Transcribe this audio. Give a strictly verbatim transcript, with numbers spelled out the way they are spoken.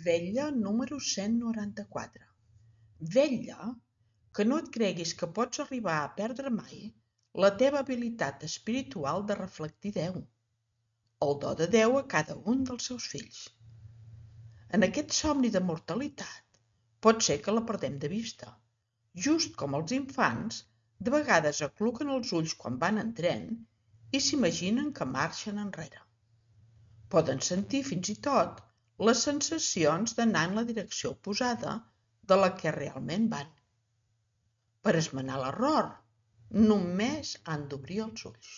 Vetlla número cent noranta-quatre. Vetlla que no et creguis que pots arribar a perdre mai la teva habilitat espiritual de reflectir Déu, el do de Déu a cada un dels seus fills. En aquest somni de mortalitat pot ser que la perdem de vista, just com els infants de vegades acluquen els ulls quan van en tren i s'imaginen que marxen enrere. Poden sentir fins i tot les sensacions d'anar en la direcció oposada de la que realment van. Per esmenar l'error, només han d'obrir els ulls.